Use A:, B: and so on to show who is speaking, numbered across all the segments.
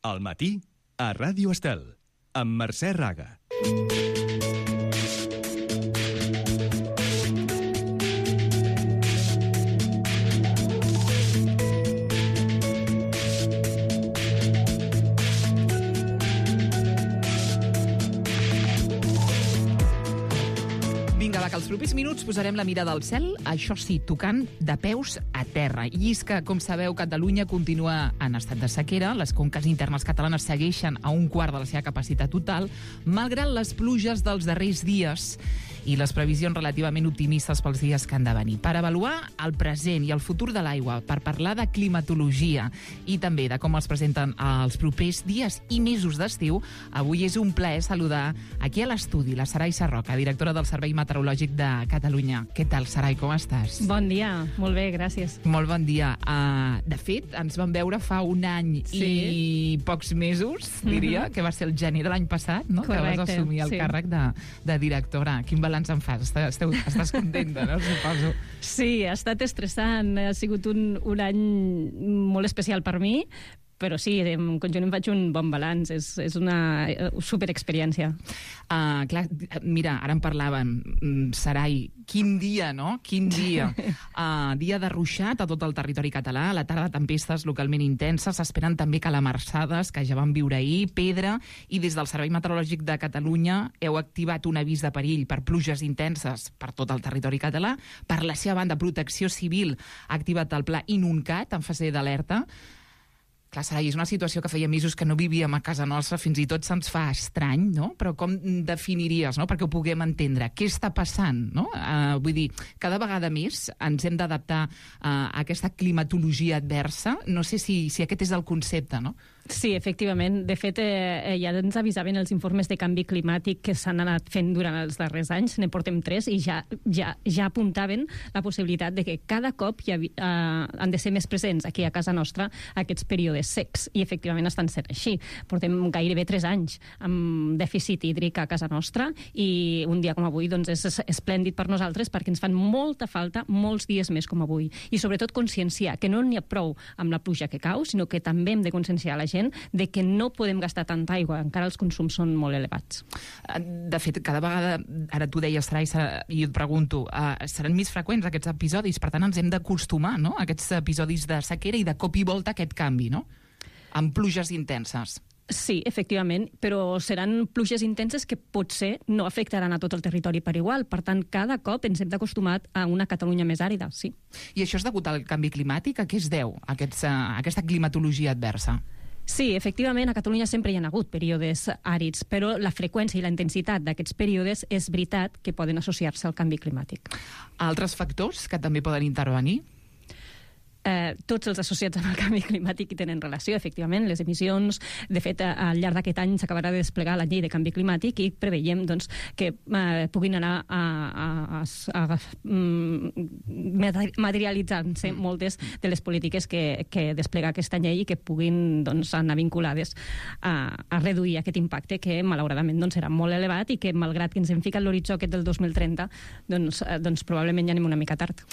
A: Al matí, a Ràdio Estel, amb Mercè Raga.
B: Vinga, va, que els propers minuts posarem la mirada al cel, això sí, tocant de peus a terra. I és que, com sabeu, Catalunya continua en estat de sequera, les conques internes catalanes segueixen a un quart de la seva capacitat total, malgrat les pluges dels darrers dies i les previsions relativament optimistes pels dies que han de venir. Per avaluar el present i el futur de l'aigua, per parlar de climatologia i també de com es presenten els propers dies i mesos d'estiu, avui és un plaer saludar aquí a l'estudi la Sarai Sarroca, directora del Servei Meteorològic de Catalunya. Què tal, Sarai, com estàs?
C: Bon dia, molt bé, gràcies.
B: Molt bon dia. De fet, ens vam veure fa un any i pocs mesos, diria, que va ser el gener de l'any passat, no?
C: Correcte,
B: que vas assumir el càrrec de directora. Quin balanç en fas? Estàs contenta, no? Suposo.
C: Sí, ha estat estressant, ha sigut un any molt especial per mi, però sí, en conjunt em faig un bon balanç, és una superexperiència.
B: Clar, mira, ara en parlàvem, Sarai, quin dia, no? Quin dia. Dia de ruixat a tot el territori català, a la tarda tempestes localment intenses, s'esperen també calamarsades, que ja vam viure ahir, pedra, i des del Servei Meteorològic de Catalunya heu activat un avís de perill per pluges intenses per tot el territori català. Per la seva banda, Protecció Civil ha activat el pla Inuncat en fase d'alerta. Clar, Sarai, és una situació que feia mesos que no vivíem a casa nostra, fins i tot se'ns fa estrany, no? Però com definiries, no?, perquè ho puguem entendre? Què està passant, no? Vull dir, cada vegada més ens hem d'adaptar a aquesta climatologia adversa. No sé si aquest és el concepte, no?
C: Sí, efectivament. De fet, ja ens avisaven els informes de canvi climàtic que s'han anat fent durant els darrers anys, ne portem 3, i ja apuntaven la possibilitat de que cada cop han de ser més presents aquí a casa nostra aquests períodes secs, i efectivament estan sent així. Portem gairebé 3 anys amb dèficit hídric a casa nostra, i un dia com avui doncs, és esplèndid per nosaltres perquè ens fan molta falta molts dies més com avui. I sobretot conscienciar que no n'hi ha prou amb la pluja que cau, sinó que també hem de conscienciar la gent de que no podem gastar tanta aigua, encara els consums són molt elevats.
B: De fet, cada vegada, ara tu deies, Sarai, i et pregunto, seran més freqüents aquests episodis, per tant ens hem d'acostumar, no?, a aquests episodis de sequera i de cop i volta aquest canvi, no?, amb pluges intenses.
C: Sí, efectivament, però seran pluges intenses que potser no afectaran a tot el territori per igual. Per tant, cada cop ens hem d'acostumar a una Catalunya més àrida, sí.
B: I això és degut al canvi climàtic? A què es deu aquesta climatologia adversa?
C: Sí, efectivament, a Catalunya sempre hi ha hagut períodes àrids, però la freqüència i la intensitat d'aquests períodes és veritat que poden associar-se al canvi climàtic.
B: Altres factors que també poden intervenir?
C: Tots els associats amb el canvi climàtic hi tenen relació, efectivament, les emissions. De fet, al llarg d'aquest any s'acabarà de desplegar la llei de canvi climàtic i preveiem doncs, que puguin anar materialitzant-se moltes de les polítiques que desplega aquesta llei i que puguin doncs, anar vinculades a reduir aquest impacte que malauradament doncs, serà molt elevat i que malgrat que ens hem ficat l'horitzó aquest del 2030 doncs probablement ja anem una mica tard.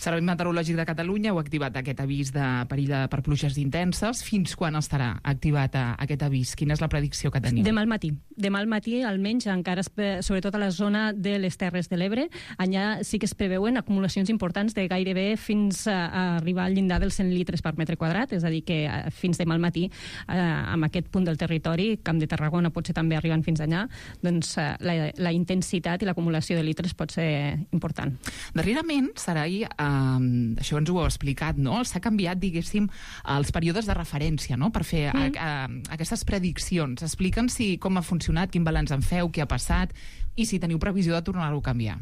B: Servei Meteorològic de Catalunya heu activat aquest avís de perill per pluges intenses. Fins quan estarà activat aquest avís? Quina és la predicció que teniu?
C: Demà al matí. Demà al matí, almenys, encara, sobretot a la zona de les Terres de l'Ebre, allà sí que es preveuen acumulacions importants de gairebé fins a arribar al llindar dels 100 litres per metre quadrat, és a dir, que fins demà al matí, amb aquest punt del territori, Camp de Tarragona potser també arribant fins allà, doncs la intensitat i l'acumulació de litres pot ser important.
B: Darrerament, Sarai, això ens ho heu explicat, no? S'ha canviat, diguéssim, els períodes de referència, no?, per fer aquestes prediccions. Explica'ns com ha funcionat, quin balanç en feu, què ha passat i si teniu previsió de tornar-ho a canviar.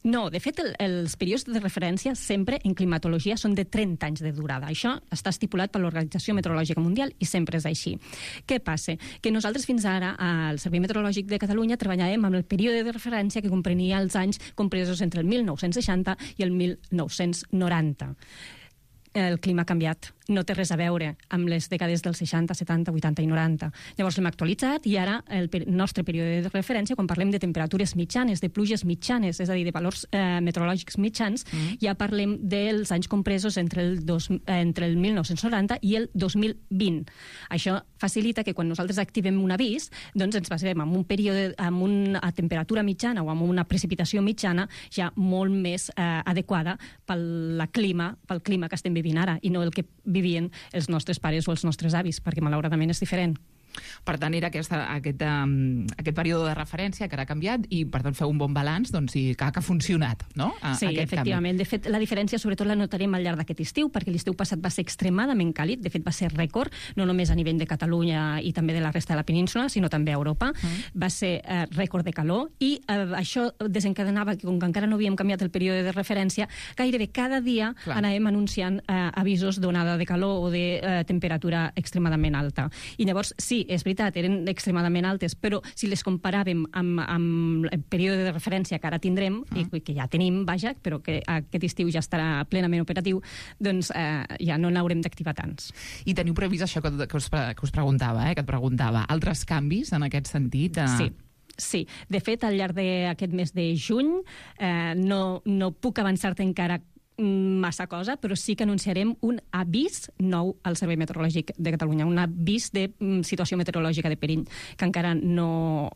C: No, de fet, els períodes de referència sempre en climatologia són de 30 anys de durada. Això està estipulat per l'Organització Meteorològica Mundial i sempre és així. Què passa? Que nosaltres fins ara, al Servei Meteorològic de Catalunya, treballàvem amb el període de referència que comprenia els anys compresos entre el 1960 i el 1990. El clima ha canviat no té res a veure amb les dècades dels 60, 70, 80 i 90. Llavors l'hem actualitzat i ara el nostre període de referència, quan parlem de temperatures mitjanes, de pluges mitjanes, és a dir, de valors meteorològics mitjans, ja parlem dels anys compresos entre el 1990 i el 2020. Això facilita que quan nosaltres activem un avís, doncs ens basem en un període, amb una temperatura mitjana o amb una precipitació mitjana ja molt més adequada pel clima que estem vivint ara i no el que vivien els nostres pares o els nostres avis, perquè malauradament és diferent.
B: Per tant, era aquest període de referència que ara ha canviat i, per tant, feu un bon balanç i que ha funcionat, no?
C: Sí, efectivament. De fet, la diferència sobretot la notarem al llarg d'aquest estiu, perquè l'estiu passat va ser extremadament càlid, de fet va ser rècord, no només a nivell de Catalunya i també de la resta de la península, sinó també a Europa. Va ser rècord de calor i això desencadenava que, com que encara no havíem canviat el període de referència, gairebé cada dia anàvem anunciant avisos d'onada de calor o de temperatura extremadament alta. I llavors, sí, és veritat, eren extremadament altes, però si les comparàvem amb el període de referència que ara tindrem, i que ja tenim, vaja, però que aquest estiu ja estarà plenament operatiu, doncs ja no n'haurem d'activar tants.
B: I teniu previst això que us preguntava, que et preguntava, altres canvis en aquest sentit?
C: Sí, de fet, al llarg d'aquest mes de juny no puc avançar-te encara massa cosa, però sí que anunciarem un avís nou al Servei Meteorològic de Catalunya, un avís de situació meteorològica de perill, que encara no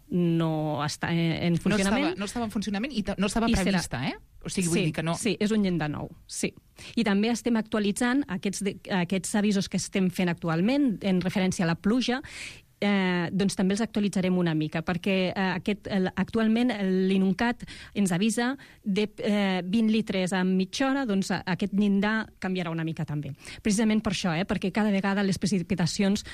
C: està en funcionament.
B: No estava en funcionament i no estava prevista, O sigui, vull dir que no...
C: Sí, és un llindar nou, sí. I també estem actualitzant aquests avisos que estem fent actualment en referència a la pluja, doncs també els actualitzarem una mica, perquè actualment l'INUNCAT ens avisa de 20 litres a mitja hora, doncs aquest llindar canviarà una mica també. Precisament per això, perquè cada vegada les precipitacions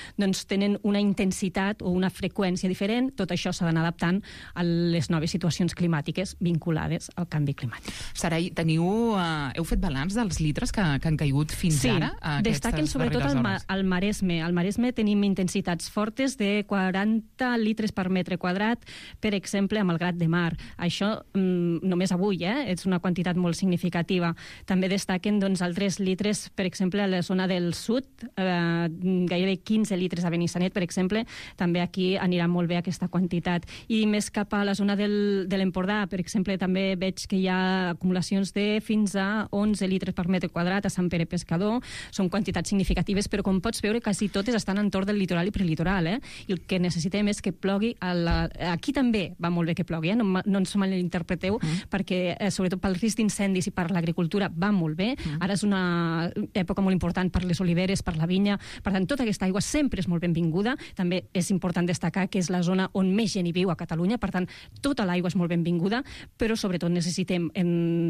C: tenen una intensitat o una freqüència diferent, tot això s'ha d'anar adaptant a les noves situacions climàtiques vinculades al canvi climàtic.
B: Sarai, heu fet balanç dels litres que han caigut fins ara?
C: Sí, destaquen sobretot al Maresme. Al Maresme tenim intensitats fortes de 40 litres per metre quadrat, per exemple, amb el Grat de Mar. Això només avui, és una quantitat molt significativa. També destaquen altres litres, per exemple, a la zona del sud, gairebé 15 litres a Benissanet, per exemple, també aquí anirà molt bé aquesta quantitat. I més cap a la zona de l'Empordà, per exemple, també veig que hi ha acumulacions de fins a 11 litres per metre quadrat a Sant Pere Pescador. Són quantitats significatives, però com pots veure, quasi totes estan entorn del litoral i prelitoral, i el que necessitem és que plogui aquí també va molt bé que plogui, no ens malinterpreteu, perquè sobretot pel risc d'incendis i per l'agricultura va molt bé. Ara és una època molt important per les oliveres, per la vinya, per tant tota aquesta aigua sempre és molt benvinguda. També és important destacar que és la zona on més gent hi viu a Catalunya, per tant tota l'aigua és molt benvinguda, però sobretot necessitem,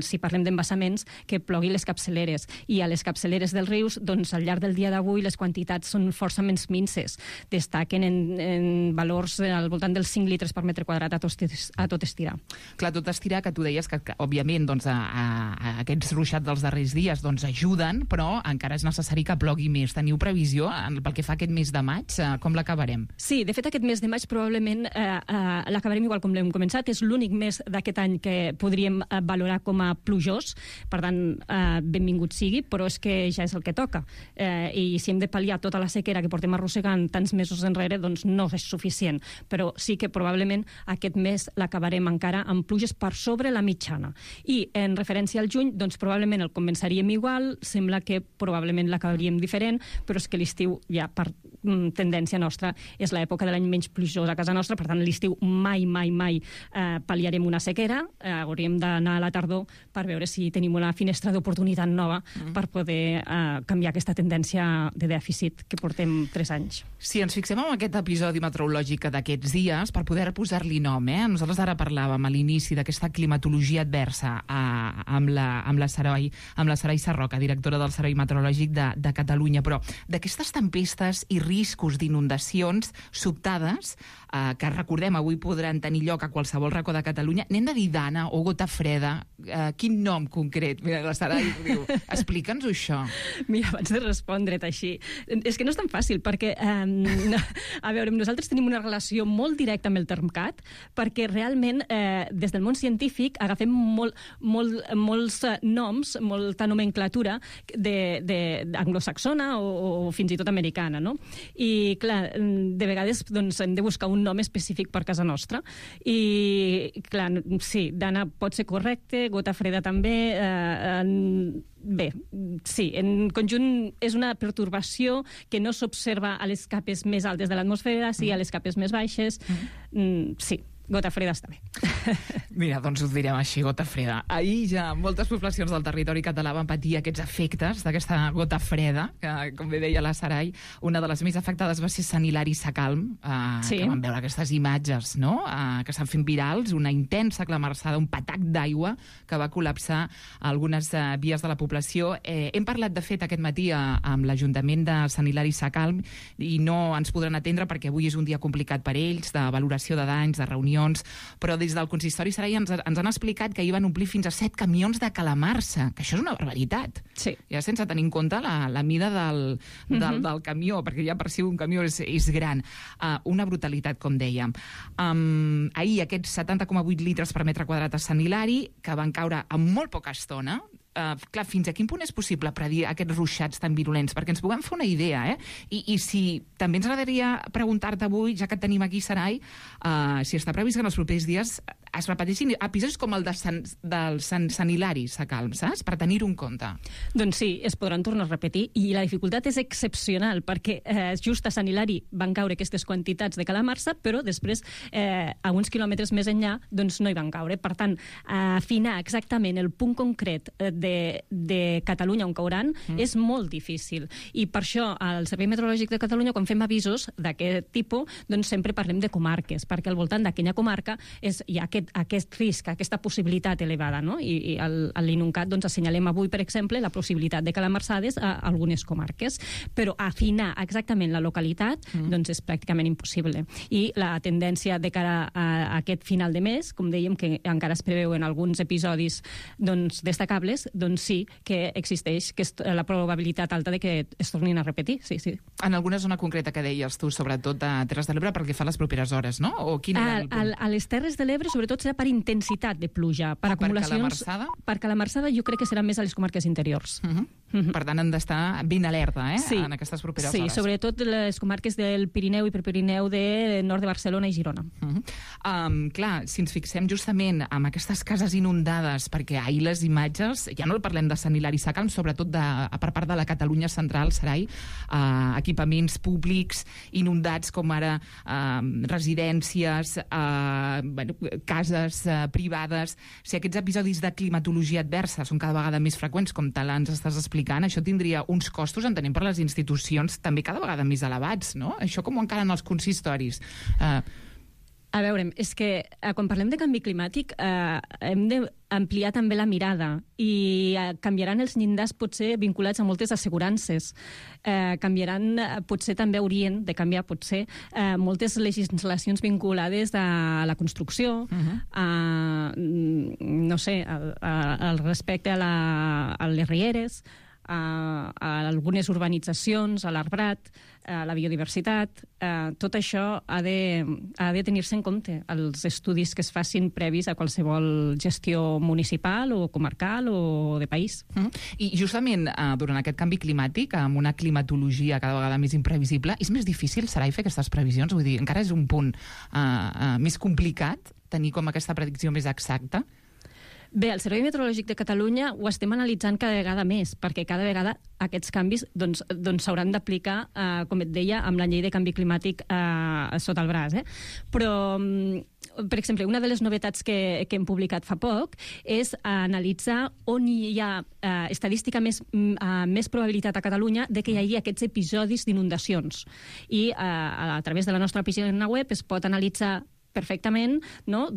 C: si parlem d'embassaments, que plogui les capçaleres, i a les capçaleres dels rius, doncs al llarg del dia d'avui les quantitats són força menys minces, destaquen en valors al voltant dels 5 litres per metre quadrat a tot estirar.
B: Clar, tot estirar, que tu deies que òbviament, aquests ruixats dels darrers dies ajuden, però encara és necessari que plogui més. Teniu previsió pel que fa aquest mes de maig? Com l'acabarem?
C: Sí, de fet, aquest mes de maig probablement l'acabarem igual com l'hem començat. És l'únic mes d'aquest any que podríem valorar com a plujós, per tant, benvingut sigui, però és que ja és el que toca. I si hem de pal·liar tota la sequera que portem arrossegant tants mesos enrere, doncs no és suficient, però sí que probablement aquest mes l'acabarem encara amb pluges per sobre la mitjana. I en referència al juny, doncs probablement el començaríem igual, sembla que probablement l'acabaríem diferent, però és que l'estiu ja per tendència nostra és l'època de l'any menys plujós a casa nostra, per tant l'estiu mai pal·liarem una sequera, hauríem d'anar a la tardor per veure si tenim una finestra d'oportunitat nova per poder canviar aquesta tendència de dèficit que portem 3 anys.
B: Si ens fixem en aquest episodi meteorològic d'aquests dies, per poder posar-li nom, nosaltres ara parlàvem a l'inici d'aquesta climatologia adversa amb la Sarai Sarroca, directora del Servei Meteorològic de Catalunya, però d'aquestes tempestes i riscos d'inundacions sobtades, que recordem avui podran tenir lloc a qualsevol racó de Catalunya, n'hem de dir dana o gota freda? Quin nom concret? Mira, la Sarai diu, explica'ns això.
C: Mira, abans de respondre't així, és que no és tan fàcil, perquè A veure, nosaltres tenim una relació molt directa amb el Termcat, perquè realment, des del món científic, agafem molts noms, molta nomenclatura anglosaxona o fins i tot americana, no? I, clar, de vegades doncs, hem de buscar un nom específic per casa nostra. I, clar, sí, Dana pot ser correcte, gota freda també. Bé, sí, en conjunt és una pertorbació que no s'observa a les capes més altes de l'atmosfera, sí a les capes més baixes. Sí, gota freda està bé.
B: Mira, doncs ho direm així, gota freda. Ahir ja moltes poblacions del territori català van patir aquests efectes d'aquesta gota freda, que, com bé deia la Sarai, una de les més afectades va ser Sant Hilari Sacalm,
C: sí.
B: Que van veure aquestes imatges, no?, que s'han fet virals, una intensa clamarsada, un patac d'aigua que va col·lapsar algunes vies de la població. Hem parlat, de fet, aquest matí amb l'Ajuntament de Sant Hilari Sacalm i no ens podran atendre perquè avui és un dia complicat per ells, de valoració de danys, de reunions, però des del consistori Sarai ens han explicat que hi van omplir fins a 7 camions de calamarsa, que això és una barbaritat.
C: Sí.
B: Ja sense tenir en compte la mida del camió, perquè ja per si un camió és gran. Una brutalitat, com dèiem. Ahir aquests 70,8 litres per metre quadrat a Sant Hilari, que van caure en molt poca estona. Clar, fins a quin punt és possible predir aquests ruixats tan virulents? Perquè ens puguem fer una idea, I si també ens agradaria preguntar-te avui, ja que et tenim aquí, Sarai, si està previst que en els propers dies es repeteixin episodis com el del Sant Hilari Sacalm, saps? Per tenir-ho en compte.
C: Doncs sí, es podran tornar a repetir, i la dificultat és excepcional, perquè just a Sant Hilari van caure aquestes quantitats de calamarsa, però després, a uns quilòmetres més enllà, doncs no hi van caure. Per tant, afinar exactament el punt concret de Catalunya on cauran és molt difícil. I per això, al Servei Meteorològic de Catalunya, quan fem avisos d'aquest tipus, doncs sempre parlem de comarques, perquè al voltant d'aquella comarca hi ha aquest risc, aquesta possibilitat elevada, no? I a l'INUNCAT doncs, assenyalem avui, per exemple, la possibilitat de calamarsades a algunes comarques. Però afinar exactament la localitat doncs és pràcticament impossible. I la tendència de cara a aquest final de mes, com dèiem, que encara es preveuen alguns episodis doncs, destacables, doncs sí que existeix la probabilitat alta de que es tornin a repetir, sí.
B: En alguna zona concreta que deies tu, sobretot a Terres de l'Ebre, perquè fa les properes hores, no? O quin era el punt?
C: A les Terres de l'Ebre, sobretot, serà per intensitat de pluja. Per acumulacions...
B: Per calamarssada?
C: Per calamarssada jo crec que serà més a les comarques interiors.
B: Per tant, han d'estar ben alerta,
C: sí.
B: En aquestes properes
C: hores. Sí, sobretot les comarques del Pirineu i Prepirineu de nord de Barcelona i Girona.
B: Clar, si ens fixem justament en aquestes cases inundades, perquè ahir les imatges, ja no parlem de Sant Hilari Sacalm, sobretot per part de la Catalunya central, Sarai, equipaments públics inundats, com ara residències, cases privades. Si aquests episodis de climatologia adversa són cada vegada més freqüents, com te l'ens estàs explicant, això tindria uns costos, entenem, per les institucions també cada vegada més elevats, no? Això com ho encaren els consistoris?
C: A veure, és que quan parlem de canvi climàtic hem d'ampliar també la mirada i canviaran els llindars potser vinculats a moltes assegurances. Canviaran, potser també haurien de canviar potser moltes legislacions vinculades a la construcció, no sé, al respecte a les rieres, a algunes urbanitzacions, a l'arbrat, a la biodiversitat. Tot això ha de tenir-se en compte als estudis que es facin previs a qualsevol gestió municipal o comarcal o de país.
B: I justament durant aquest canvi climàtic, amb una climatologia cada vegada més imprevisible, és més difícil, Sarai, fer aquestes previsions? Vull dir, encara és un punt més complicat tenir com aquesta predicció més exacta?
C: Bé, al Servei Meteorològic de Catalunya ho estem analitzant cada vegada més, perquè cada vegada aquests canvis s'hauran d'aplicar, com et deia, amb la llei de canvi climàtic sota el braç. Però, per exemple, una de les novetats que hem publicat fa poc és analitzar on hi ha estadística més probabilitat a Catalunya de que hi hagi aquests episodis d'inundacions. I a través de la nostra pàgina web es pot analitzar perfectament, no?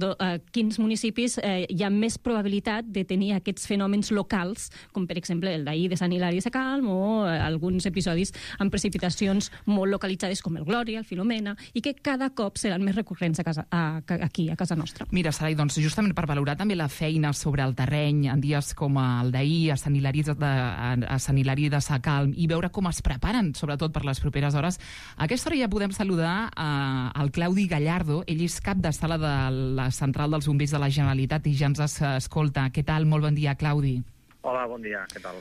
C: Quins municipis hi ha més probabilitat de tenir aquests fenòmens locals, com per exemple el d'ahir de Sant Hilari de Sacalm o alguns episodis amb precipitacions molt localitzades com el Glòria, el Filomena, i que cada cop seran més recurrents aquí, a casa nostra.
B: Mira, Sarai, doncs justament per valorar també la feina sobre el terreny en dies com el d'ahir a Sant Hilari de Sacalm i veure com es preparen, sobretot per les properes hores, a aquesta hora ja podem saludar al Claudi Gallardo. Ell és cap de sala de la Central dels Bombers de la Generalitat i ja ens escolta. Què tal? Molt bon dia, Claudi.
D: Hola, bon dia, què tal?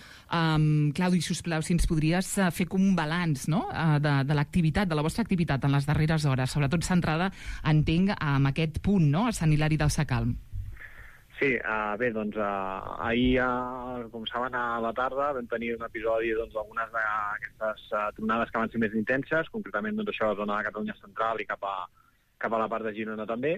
B: Claudi, sisplau, si ens podries fer com un balanç, no?, de l'activitat, de la vostra activitat en les darreres hores, sobretot centrada, entenc, en aquest punt, no?, a Sant Hilari del Sacalm.
D: Sí, bé, doncs ahir, com saben, a la tarda vam tenir un episodi d'algunes d'aquestes tronades que van ser més intenses, concretament això a la zona de Catalunya Central i cap a la part de Girona també.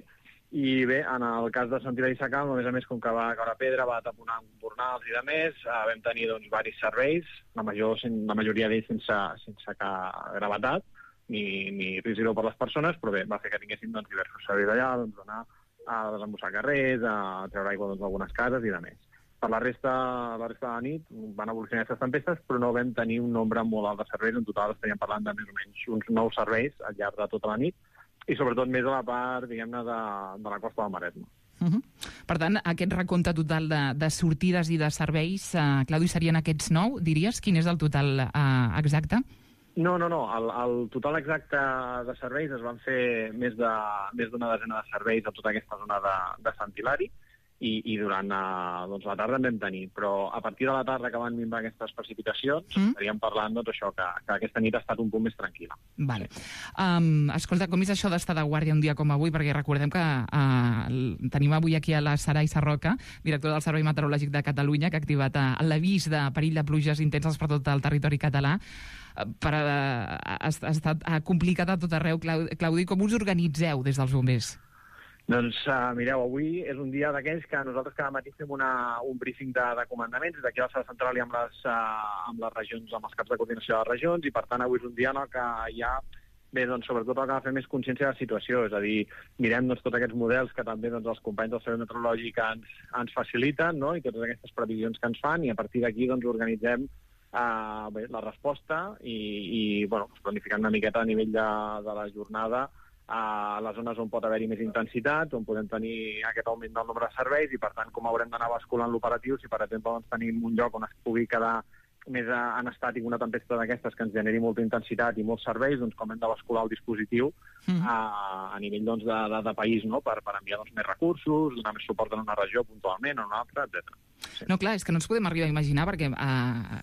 D: I bé, en el cas de Sant Hilari Sacalm, a més, com que va caure pedra, va taponar embornals i de més, vam tenir diversos serveis, la majoria d'ells sense cap gravetat, ni risc zero per les persones, però bé, va fer que tinguéssim diversos serveis allà, anar a desembossar carrers, a treure aigua d'algunes cases i de més. Per la resta de la nit van evolucionar aquestes tempestes, però no vam tenir un nombre molt alt de serveis. En total estaríem parlant de més o menys uns 9 serveis al llarg de tota la nit, i sobretot més a la part, diguem-ne, de la costa del Maresme.
B: Per tant, aquest recompte total de sortides i de serveis, Claudi, serien aquests 9, diries? Quin és el total exacte?
D: No. El total exacte de serveis es van fer més d'una desena de serveis a tota aquesta zona de Sant Hilari, i durant la tarda en vam tenir. Però a partir de la tarda que van minvar aquestes precipitacions, estaríem parlant això, que aquesta nit ha estat un punt més tranquil·la.
B: Vale. Escolta, com és això d'estar de guàrdia un dia com avui? Perquè recordem que tenim avui aquí a la Sarai Sarroca, directora del Servei Meteorològic de Catalunya, que ha activat l'avís de perill de pluges intenses per tot el territori català. Ha estat complicat a tot arreu. Claudi, com us organitzeu des dels bombers?
D: Doncs mireu, avui és un dia d'aquells que nosaltres cada matí fem un briefing de comandaments d'aquí a la sala central i amb les regions, amb els caps de coordinació de les regions, i per tant avui és un dia en el que hi ha, bé, doncs sobretot el que ha de fer més consciència de la situació, és a dir, mirem tots aquests models que també els companys del Servei Meteorològic ens faciliten, no?, i totes aquestes previsions que ens fan, i a partir d'aquí organitzem la resposta i planificant una miqueta a nivell de la jornada a les zones on pot haver-hi més intensitat, on podem tenir aquest augment del nombre de serveis, i per tant com haurem d'anar basculant l'operatiu. Si per exemple tenim un lloc on es pugui quedar més en estàtic una tempesta d'aquestes que ens generi molta intensitat i molts serveis, doncs com hem de bascular el dispositiu a nivell de país, no?, per enviar més recursos, donar més suport en una regió puntualment o en una altra, etc.
B: Sí. No, clar, és que no ens podem arribar a imaginar, perquè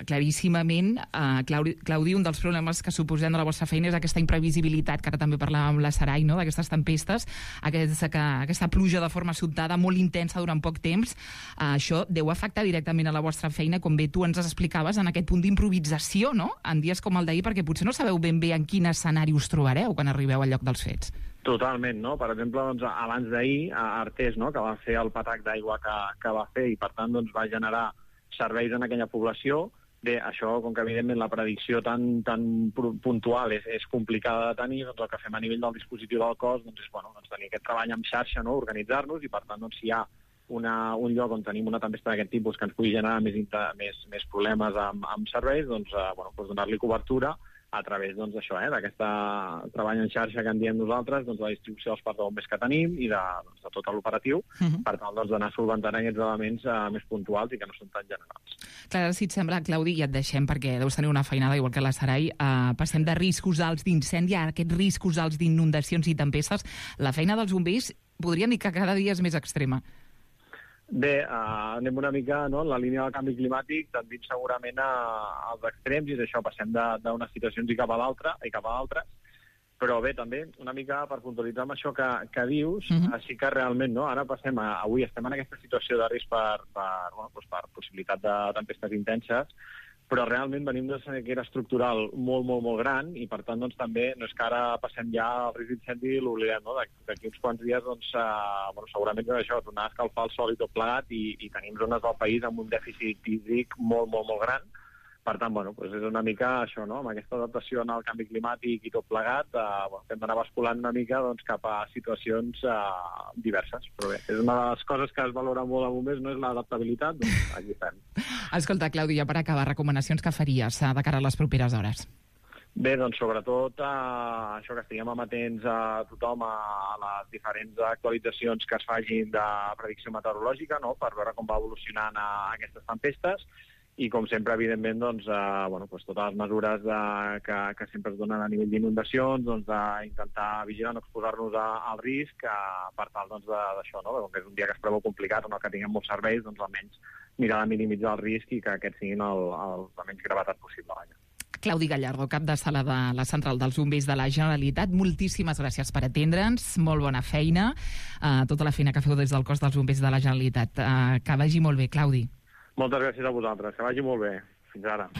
B: claríssimament, Claudi, un dels problemes que suposem de la vostra feina és aquesta imprevisibilitat, que ara també parlàvem amb la Sarai, no?, d'aquestes tempestes, aquesta pluja de forma sobtada, molt intensa durant poc temps. Això deu afectar directament a la vostra feina, com bé tu ens explicaves, en aquest punt d'improvisació, no?, en dies com el d'ahir, perquè potser no sabeu ben bé en quin escenari us trobareu quan arribeu al lloc dels fets.
D: Totalment, no? Per exemple, abans d'ahir, a Artés, no?, que va fer el patac d'aigua que va fer i, per tant, va generar serveis en aquella població. Bé, això, com que evidentment la predicció tan puntual és complicada de tenir, doncs el que fem a nivell del dispositiu del cos és tenir aquest treball en xarxa, no?, organitzar-nos, i per tant, si hi ha un lloc on tenim una tempesta d'aquest tipus que ens pugui generar més problemes amb serveis, donar-li cobertura a través d'això, d'aquest treball en xarxa que en diem nosaltres, la distribució dels parcs de bombers que tenim i de tot l'operatiu, per tal d'anar solventant aquests elements més puntuals i que no són tan generals.
B: Clar, si et sembla, Claudi, ja et deixem, perquè deus tenir una feinada igual que la Sarai. Passem de riscos alts d'incendi a aquests riscos alts d'inundacions i tempestes. La feina dels bombers podríem dir que cada dia és més extrema.
D: Bé, anem una mica en la línia del canvi climàtic, tendint segurament als extrems, i d'això passem d'unes situacions i cap a l'altra. Però bé, també, una mica per puntualitzar amb això que dius, així que realment, no, ara avui estem en aquesta situació de risc per possibilitat de tempestes intenses, però realment venim d'una sequera estructural molt, molt, molt gran, i per tant també no és que ara passem ja al risc d'incendi i l'oblidem, no? D'aquí uns quants dies segurament això, tornar a escalfar el sol i tot plegat, i tenim zones del país amb un dèficit hídric molt, molt, molt gran, Per tant, bueno, doncs és una mica això, no? Amb aquesta adaptació al canvi climàtic i tot plegat, hem d'anar basculant una mica doncs, cap a situacions diverses. Però bé, és una de les coses que es valora molt a bombers, no és l'adaptabilitat, doncs aquí estem.
B: Escolta, Claudi, ja per acabar, recomanacions que faries de cara a les properes hores?
D: Bé, doncs sobretot això, que estiguem amatents a tothom a les diferents actualitzacions que es fagin de predicció meteorològica, no?, per veure com va evolucionant aquestes tempestes, i com sempre, evidentment, doncs, totes les mesures que sempre es donen a nivell d'inundacions, doncs, d'intentar vigilar, no exposar-nos al risc, per tal doncs, d'això, no? Com que és un dia que es preveu complicat, on el que tinguem molts serveis, doncs almenys mirar de minimitzar el risc i que aquests siguin la menys gravetat possible.
B: Claudi Gallardo, cap de sala de la Central dels Bombers de la Generalitat, moltíssimes gràcies per atendre'ns, molt bona feina, tota la feina que feu des del cos dels Bombers de la Generalitat. Que vagi molt bé, Claudi.
D: Moltes gràcies a vosaltres, que vagi molt bé. Fins ara.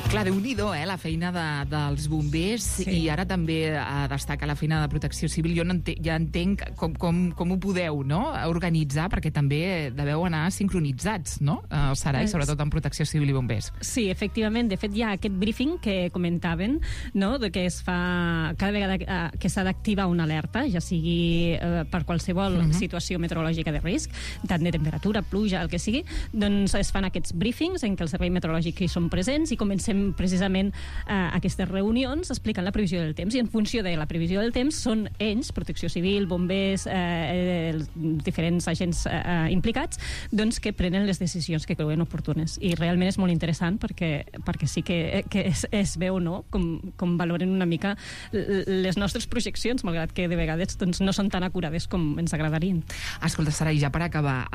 B: Clar, Déu-n'hi-do, la feina dels bombers, sí. I ara també destaca la feina de Protecció Civil. Jo ja entenc com ho podeu, no?, organitzar, perquè també deveu anar sincronitzats, no?, Sarai, sobretot en Protecció Civil i bombers.
C: Sí, efectivament. De fet, hi ha aquest briefing que comentaven, no?, de que es fa cada vegada que s'ha d'activar una alerta, ja sigui per qualsevol situació meteorològica de risc, tant de temperatura, pluja, el que sigui, doncs es fan aquests briefings en què el servei meteorològic hi són presents i comencem precisament aquestes reunions explicant la previsió del temps, i en funció de la previsió del temps són ells, Protecció Civil, bombers, els diferents agents implicats, doncs que prenen les decisions que creuen oportunes. I realment és molt interessant perquè sí que es veu, no?, com valoren una mica les nostres projeccions, malgrat que de vegades doncs, no són tan acurades com ens agradarien.
B: Escolta, Sarai, ja per acabar,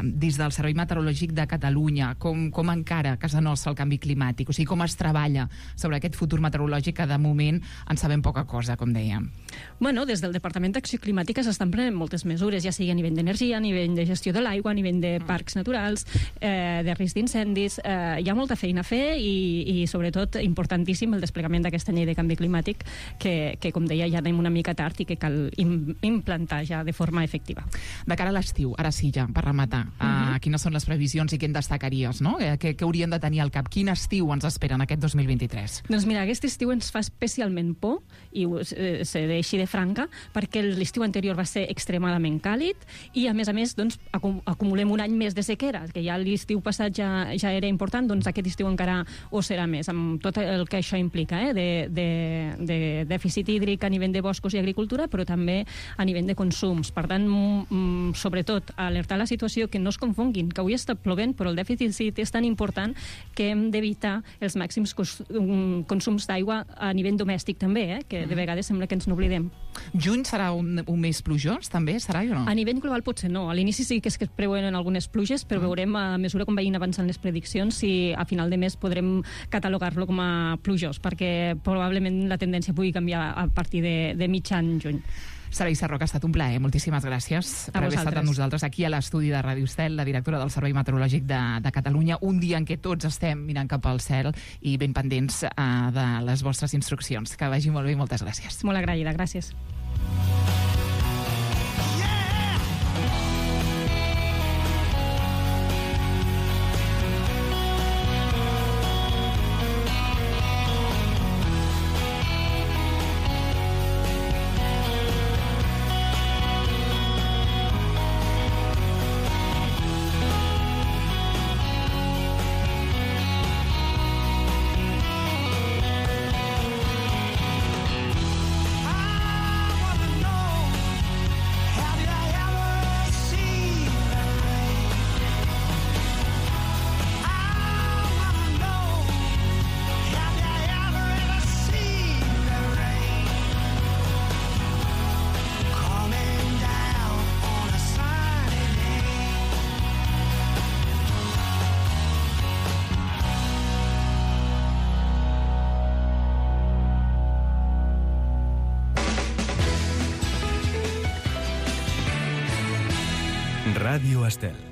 B: des del Servei Meteorològic de Catalunya, com encara a casa nostra el canvi climàtic? O sigui, com es treballa sobre aquest futur meteorològic que de moment en sabem poca cosa, com dèiem?
C: Bueno, des del Departament d'Acció Climàtica s'estan prenent moltes mesures, ja sigui a nivell d'energia, a nivell de gestió de l'aigua, a nivell de parcs naturals, de risc d'incendis. Hi ha molta feina a fer i sobretot importantíssim el desplegament d'aquesta llei de canvi climàtic que com deia, ja anem una mica tard i que cal implantar ja de forma efectiva.
B: De cara a l'estiu, ara sí ja, per rematar, quines són les previsions i què en destacaries, no? Què haurien de tenir al cap? Quin estiu ens espera en aquest 2023?
C: Doncs mira, aquest estiu ens fa especialment por, i seré així de franca, perquè l'estiu anterior va ser extremadament càlid i, a més, doncs, acumulem un any més de sequera, que ja l'estiu passat ja era important, doncs aquest estiu encara ho serà més, amb tot el que això implica, de dèficit hídric a nivell de boscos i agricultura, però també a nivell de consums. Per tant, sobretot, alertar la situació, que no es confonguin, que avui està plovent, però el dèficit és tan important que hem d'evitar els màxims consums d'aigua a nivell domèstic també, que de vegades sembla que ens n'oblidem.
B: Juny serà un mes plujós, també? Serà o no?
C: A nivell global potser no. A l'inici sí que es preveuen algunes pluges, però veurem a mesura com vagin avançant les prediccions si a final de mes podrem catalogar-lo com a plujós, perquè probablement la tendència pugui canviar a partir de mitjan juny.
B: Sarai Sarroca, ha estat un plaer. Moltíssimes gràcies per haver estat amb nosaltres aquí a l'estudi de Ràdio Estel, la directora del Servei Meteorològic de Catalunya, un dia en què tots estem mirant cap al cel i ben pendents de les vostres instruccions. Que vagi molt bé i moltes gràcies.
C: Molt agraïda, gràcies.
A: Ràdio Estel.